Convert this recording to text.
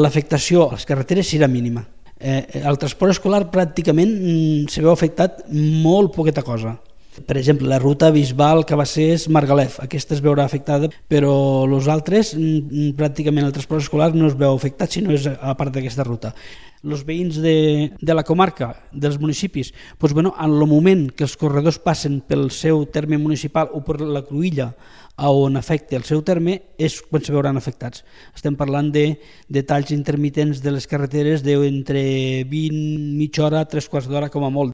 l'afectació a les carreteres serà mínima. El transport escolar pràcticament se veu afectat molt poqueta cosa. Per exemple, la ruta Bisbal-Cabassers-Margalef, aquesta es veurà afectada, però els altres, pràcticament el transport escolar no es veu afectat si no és a part d'aquesta ruta. Els veïns de la comarca, dels municipis, en el moment que els corredors passen pel seu terme municipal o per la cruïlla on afecta el seu terme és quan se veuran afectats. Estem parlant de talls intermitents de les carreteres d'entre 20, mitja hora, 3/4 d'hora com a molt.